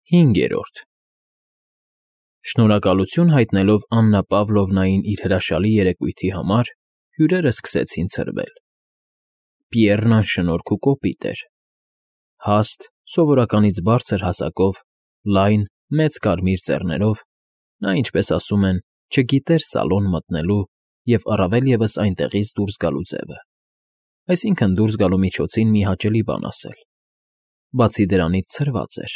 5. Շնորհակալություն հայտնելով Աննա Պավլովնային իր հրաշալի երեկույթի համար, հյուրերը սկսեցին ցրվել. Պիեռն անշնորհք ու կոպիտ էր. հաստ, սովորականից բարձր հասակով, լայն, մեծ կարմիր ծեռներով, նա, ինչպես ասում են, չգիտեր սալոն մտնելու և առավել ևս այնտեղից դուրս գալու ձևը, այսինքն՝ դուրս գալու միջոցին մի հաճելի բան ասել. բացի դրանից ցրված էր.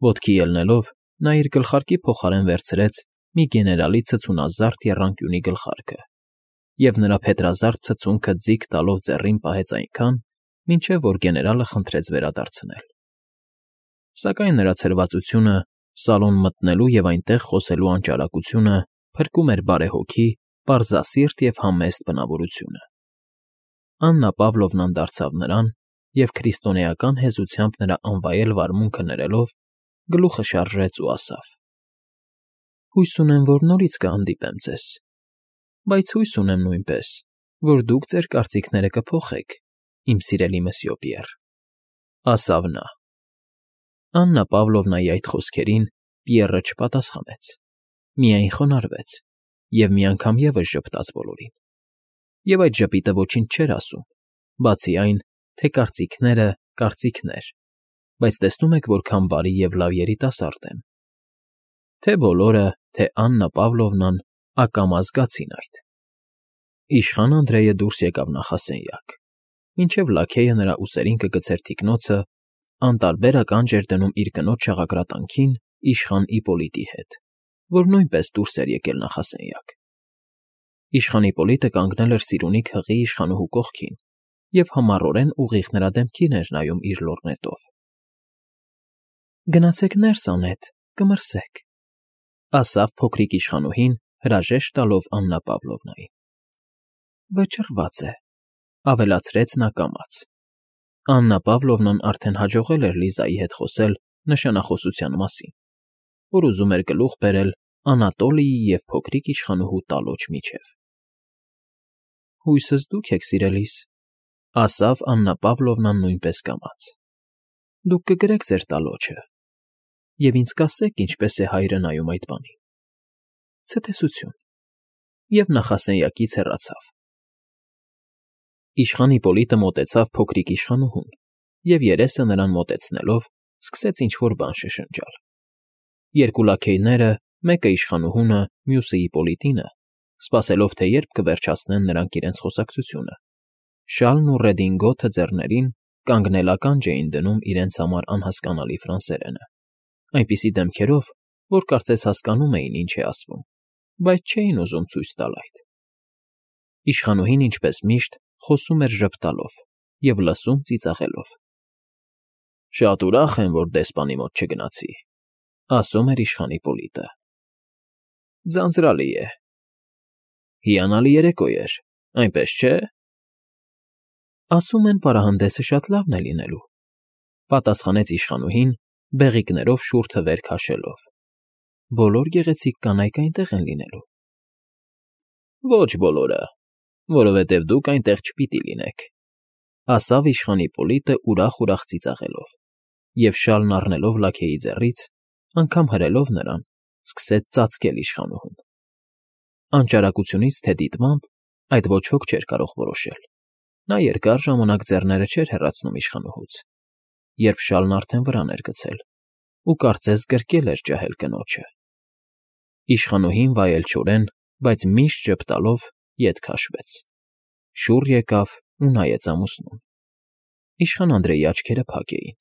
ոտքի ելնելով, նա իր գլխարկի փոխարեն վերցրեց մի գեներալի ցցունազարդ եռանկյունի գլխարկը և նրա փետրազարդ ցցունքը ձիգ տալով ձեռին պահեց այնքան, մինչև որ գեներալը խնդրեց վերադարձնել. Սակայն նրա ցրվածությունը, սալոն մտնելու և այնտեղ խոսելու անճարակությունը փրկում էր բարեհոգի, պարզասիրտ և համեստ բնավորությունը։ Աննա Պավլովնան դարձավ նրան և քրիստոնեական հեզությամբ նրա անվայել վարմունքը ներելով, գլուխը շարժեց ու ասավ. «Հույս ունեմ, որ նորից կհանդիպեմ ձեզ, բայց հույս ունեմ նույնպես, որ դուք ձեր կարծիքները կփոխեք, իմ սիրելի մսьє Պիեռ», ասավ նա։ Աննա Պավլովնայի այդ խոսքերին Պիեռը չպատասխանեց, միայն խոնարհվեց և մի անգամ ևս ժպտաց բոլորին։ Եվ այդ ժպիտը ոչինչ չէր ասում, բացի այն, թե կարծիքները կարծիքներ, բայց տեսնում եք որքան բարի և լավ երիտասարդ եմ։ Թե բոլորը, թե Աննա Պավլովնան ակամա զգացին այդ։ Իշխան Անդրեյը դուրս եկավ նախասենյակ, մինչև լաքեյը նրա ուսերին կգցեր թիկնոցը, անտարբեր ականջ էր դնում իր կնոջ շաղակրատանքին իշխան Իպոլիտի հետ, որ նույնպես դուրս էր եկել նախասենյակ։ Իշխան Իպոլիտը կանգնել էր Սիրունի հղի իշխանուհու կողքին և համառորեն ուղիղ նրա դեմքին էր նայում իր լորնետով։ «Գնացեք ներս, Անետ, կմրսեք», ասավ փոքրիկ իշխանուհին, հրաժեշտ տալով Աննա Պավլովնային։ «Վճռված է», ավելացրեց նա կամաց։ Աննա Պավլովնան արդեն հաջողել էր Լիզայի հետ խոսել նշանախոսության մասին, որ ուզում էր գլուխ բերել Անատոլիի և փոքրիկ իշխանուհու տալոջ միջև։ «Հույսս դուք եք, սիրելիս», ասավ Աննա Պավլովնան նույնպես կամաց։ «Դուք կգրեք ձեր տալոջը և ինձ կասեք, ինչպես է հայրը նայում այդ բանին։ Ցտեսություն», և նախասենյակից հեռացավ։ Իշխան Իպոլիտը մոտեցավ փոքրիկ իշխանուհուն և, երեսը նրան մոտեցնելով, սկսեց ինչ֊որ բան շշնջալ։ Երկու լաքեյները, մեկը իշխանուհունը, մյուսը Իպոլիտինը, սպասելով, թե երբ կվերջացնեն նրանք իրենց խոսակցությունը, շալն ու ռեդինգոթը ձեռներին կանգնել ականջ էին դնում իրենց համար անհասկանալի ֆրանսերենը, այնպիսի դեմքերով, որ կարծես հասկանում էին, ինչ է ասվում, բայց չէին ուզում ցույց տալ այդ։ Իշխանուհին, ինչպես միշտ, խոսում էր ժպտալով և լսում ծիծաղելով։ «Շատ ուրախ եմ, որ դեսպանի մոտ չգնացի», ասում էր իշխան Իպոլիտը։ «Ձանձրալի է։ Հիանալի երեկո էր, այնպես չէ՞։ Ասում են, պարահանդեսը շատ լավն է լինելու», պատասխանեց իշխանուհին, բեղիկներով շուրթը վեր քաշելով։ «Բոլոր գեղեցիկ կանայք այնտեղ են լինելու»։ «Ոչ բոլորը, որովհետև դուք այնտեղ չպիտի լինեք», ասավ իշխան Իպոլիտը ուրախ ծիծաղելով, և շալն առնելով լաքեյի ձեռից, անգամ հրելով նրան, սկսեց ծածկել իշխանուհուն։ Անճարակությունից թե դիտմամբ այդ ոչ ոք չէր կարող որոշել։ Նա երկար ժամանակ ձեռները չէր հեռացնում իշխանուհուց, երբ շալն արդեն վրան էր գցել, ու կարծես գրկել էր ջահել կնոջը։ Իշխանուհին վայելչորեն, բայց միշտ ժպտալով ետ քաշվեց, շուռ եկավ ու նայեց ամուսնուն։ Իշխան Անդրեյի աչքերը փակ էին,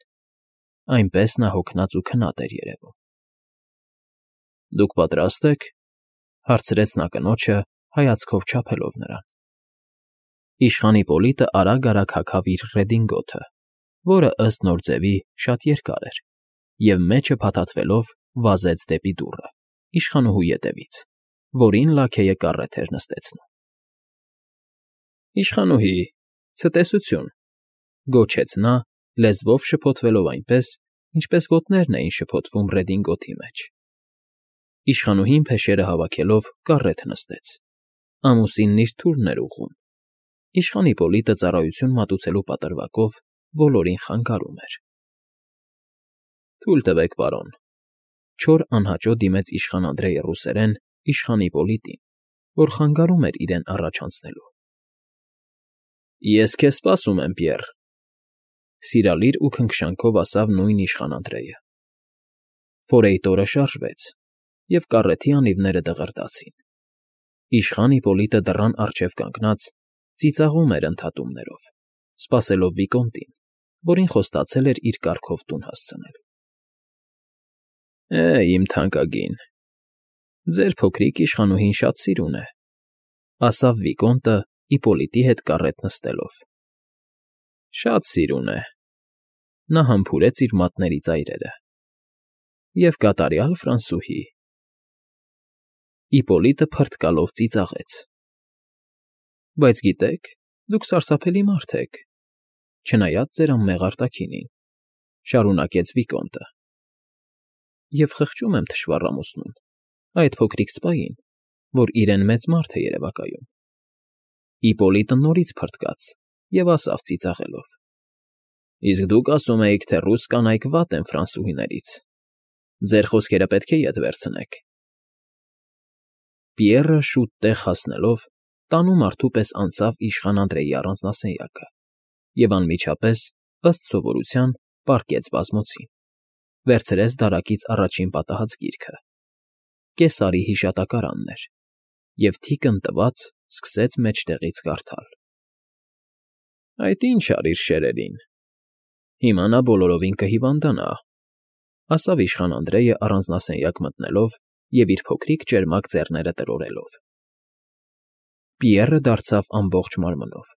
այնպես նա հոգնած ու քնած էր երևում։ «Դուք պատրաստ եք», հարցրեց նա կնոջը, հայացքով չափելով նրան։ Իշխան Իպոլիտը արագ հագավ իր ռեդինգոթը, որը, ըստ նոր ձևի, շատ երկար էր, և մեջը փաթաթվելով վազեց դեպի դուռը, իշխանուհու ետևից, որին լաքեյը կառետ էր նստեցնում։ «Իշխանուհի, ցտեսություն», գոչեց նա, լեզվով շփոթվելով այնպես, ինչպես ոտներն էին շփոթվում ռեդինգոթի մեջ։ Իշխանուհին փեշերը հավաքելով կառետ նստեց, ամուսինն իր թուրն էր ուղղում։ Իշխան Իպոլիտը ծառայություն մատուցելու պատրվակով բոլորին խանգարում էր։ Թույլ տվեք, պարոն։ Չոր անհաճո դիմեց իշխան Անդրեյը ռուսերեն իշխան Իպոլիտին, որ խանգարում էր իրեն առաջ անցնելու։ Ես քեզ սպասում եմ, Պիեռ,֊ սիրալիր ու քնքշանքով ասավ նույն իշխան Անդրեյը։ Ֆորեյտորը շարժվեց, և կառեթի անիվները դղրդացին։ Իշխան Իպոլիտը դռան առջև կանգնած ծիծաղում էր ընդհատումներով, սպասելով Վիկոնտին, որին խոստացել էր իր կառքով տուն հասցնել։ Իմ թանկագին, ձեր փոքրիկ իշխանուհին շատ սիրուն է,֊ ասավ Վիկոնտը Իպոլիտի հետ կառետ նստելով։ Շատ սիրուն է,֊ նա համբուրեց իր մատների ծայրերը,֊ և կատարյալ ֆրանսուհի։ Իպոլիտը փռթկալով ծիծաղեց։ Բայց գիտեք, դուք սարսափելի մարդ եք, չնայած ձեր անմեղ արտաքինին,֊ շարունակեց Վիկոնտը։ Եվ խղճում եմ թշվառ ամուսնուն, այդ փոքրիկ սպային, որ իրեն մեծ մարդ է երևակայում։ Իպոլիտը նորից փռթկաց և ասավ ծիծաղելով. Իսկ դուք ասում էիք, թե ռուս կանայք վատ են ֆրանսուհիներից. ձեր խոսքերը պետք է ետ վերցնեք։ Պիեռը շուտ տեղ հասնելով տանու մարդու պես անցավ իշխան Անդրեյի առանձնասենյակը և անմիջապես, ըստ սովորության, պառկեց բազմոցին, վերցրեց դարակից առաջին պատահած գիրքը, Կեսարի հիշատակարանն էր, և թիկն տված սկսեց մեջտեղից կարդալ. Այդ ինչ արիր շերերին, հիմա նա բոլորովին կհիվանդանա,֊ ասավ իշխան Անդրեյը առանձնասենյակ մտնելով և իր փոքրիկ ճերմակ ձեռները տրորելով։ Պիեռը դարձավ ամբողջ մարմնով,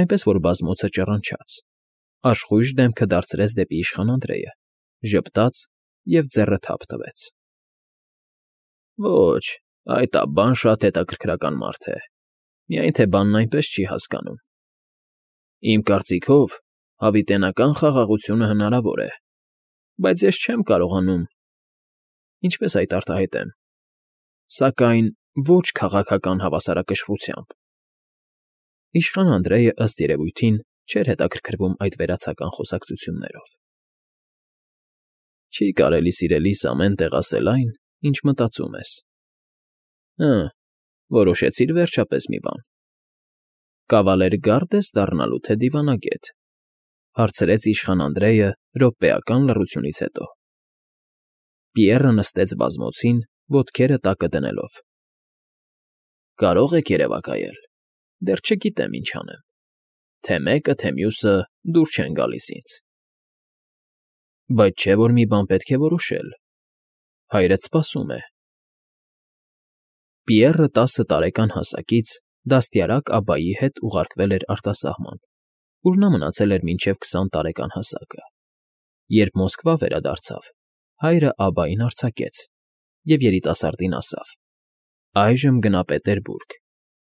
այնպես որ բազմոցը ճռնչաց, աշխույժ դեմքը դարձրեց դեպի իշխան Անդրեյը, ժպտաց և ձեռը թափ տվեց։ Ոչ, այդ բան շատ հետաքրքրական մարդ է, միայն թե բանն այնպես չի հասկանում։ Իմ կարծիքով, հավիտենական խաղաղությունը հնարավոր է, բայց ես չեմ կարողանում… Ինչպես այդ արտահայտեմ, սակայն ոչ քաղաքական հավասարակշռությամբ։ Իշխան Անդրեյը, ըստ երևույթին, չէր հետաքրքրվում այդ վերացական խոսակցություններով։ Չի կարելի սիրելիս ամեն տեղ ասել այն, ինչ մտածում ես։ Որոշեցի՞ր վերջապես մի բան։ Կավալեր գա՞րդ ես դառնալու, թե դիվանագետ,֊ հարցրեց իշխան Անդրեյը րոպեական լռությունից հետո։ Պիեռը նստեց բազմոցին, ոտքերը տակը դնելով։ Կարող եք երևակայել, դեռ չգիտեմ ինչ անեմ, թե մեկը, թե մյուսը դուր չեն գալիս ինձ։ Բայց չէ՞ որ մի բան պետք է որոշել, հայրդ սպասում է։ Պիեռը 10 տարեկան հասակից դաստիարակ Աբբայի հետ ուղարկվել էր արտասահման, ուր նա մնացել էր մինչև 20 տարեկան հասակը։ Երբ Մոսկվա վերադարձավ, հայրը Աբբային արձակեց և երիտասարդին ասավ. Այժմ գնա Պետերբուրգ,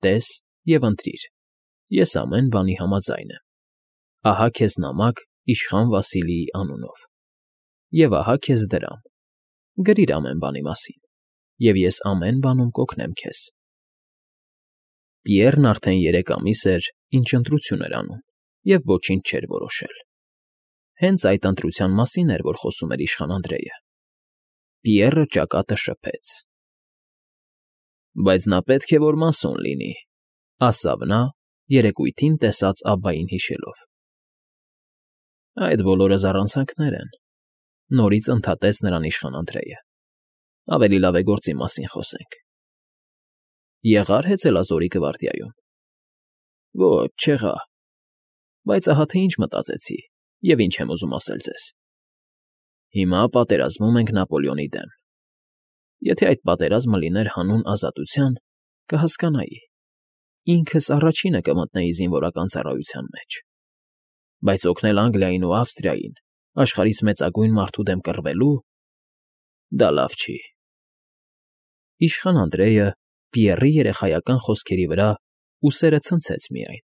տես և ընտրիր, ես ամեն բանի համաձայն եմ։ Ահա քեզ նամակ իշխան Վասիլիի անունով։ Եվ ահա քեզ դրամ, գրիր ամեն բանի մասին, և ես ամեն բանում կօգնեմ քեզ։ Պիեռն արդեն 3 ամիս էր, ինչ ընտրություն էր անում, և ոչինչ չէր որոշել։ Հենց այդ ընտրության մասին էր, որ խոսում էր իշխան Անդրեյը։ Պիեռը ճակատը շփեց։ Բայց նա պետք է որ մասոն լինի,֊ ասավ նա, երեկույթին տեսած Աբբային հիշելով։ Այդ բոլորը զառանցանքներ են,֊ նորից ընդհատեց նրան իշխան Անդրեյը։ Ավելի լավ է գործի մասին խոսենք։ Եղա՞ր հեծելազորի գվարդիայում։ Ոչ, չեղա։ Բայց ահա թե ինչ մտածեցի և ինչ եմ ուզում ասել ձեզ։ Հիմա պատերազմում ենք Նապոլեոնի դեմ։ Եթե այդ պատերազմը լիներ հանուն ազատության, կհասկանայի, ինքս առաջինը կմտնեի զինվորական ծառայության մեջ։ Բայց օգնել Անգլիային ու Ավստրիային աշխարհիս մեծագույն մարդու դեմ կռվելու… դա լավ չի։ Իշխան Անդրեյը Պիեռի երեխայական խոսքերի վրա ուսերը ցնցեց միայն։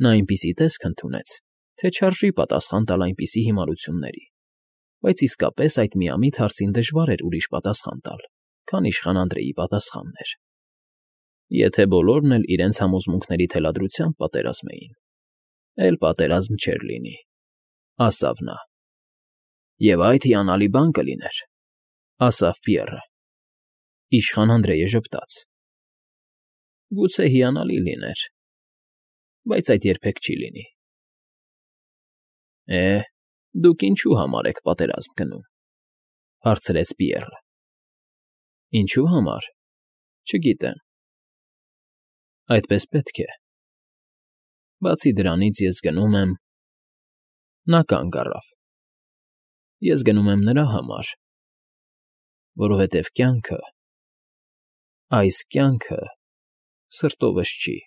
Նա այնպիսի տեսք ընդունեց, թե չարժի պատասխան տալ այնպիսի հիմարությունների, բայց իսկապես այդ միամիտ հարցին դժվար էր ուրիշ պատասխան տալ, քան իշխան Անդրեյի պատասխանն էր։ Եթե բոլորն էլ իրենց համոզմունքների թելադրությամբ պատերազմեին, էլ պատերազմ չէր լինի,֊ ասավ նա։ Եվ այդ հիանալի բան կլիներ, ասավ Պիեռը։ Իշխան Անդրեյը ժպտաց. Գուցե հիանալի լիներ, բայց այդ երբեք չի լինի։ Դուք ինչու համար եք պատերազմ գնում, հարցրեց Պիեռը։ Ինչու համար, չգիտեմ։ Այդպես պետք է։ Բացի դրանից ես գնում եմ… Նա կանգ առավ։ Ես գնում եմ նրա համար, որովհետև կյանքը, այս կյանքը սրտովս չի։